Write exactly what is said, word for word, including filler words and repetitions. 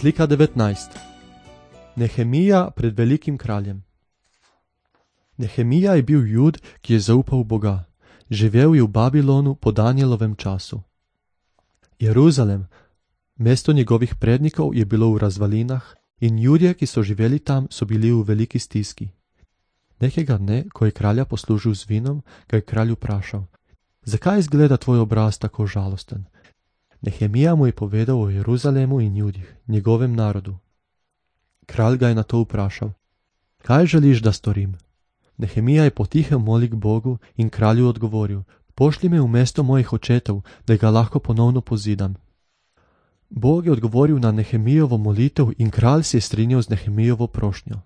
Slika devetnajst. Nehemija pred velikim kraljem. Nehemija je bil Jud, ki je zaupal v Boga. Živel je v Babilonu po Danijelovem času. Jeruzalem, mesto njegovih prednikov, je bilo v razvalinah in Judje, ki so živeli tam, so bili v veliki stiski. Nekega dne, ko je kralja poslužil z vinom, ga je kralj vprašal: zakaj izgleda tvoj obraz tako žalosten? Nehemija mu je povedal o Jeruzalemu in Judih, njegovem narodu. Kralj ga je na to vprašal: kaj želiš, da storim? Nehemija je potihem molil k Bogu in kralju odgovoril: pošlji me v mesto mojih očetov, da ga lahko ponovno pozidam. Bog je odgovoril na Nehemijovo molitev in kralj se je strinjal z Nehemijovo prošnjo.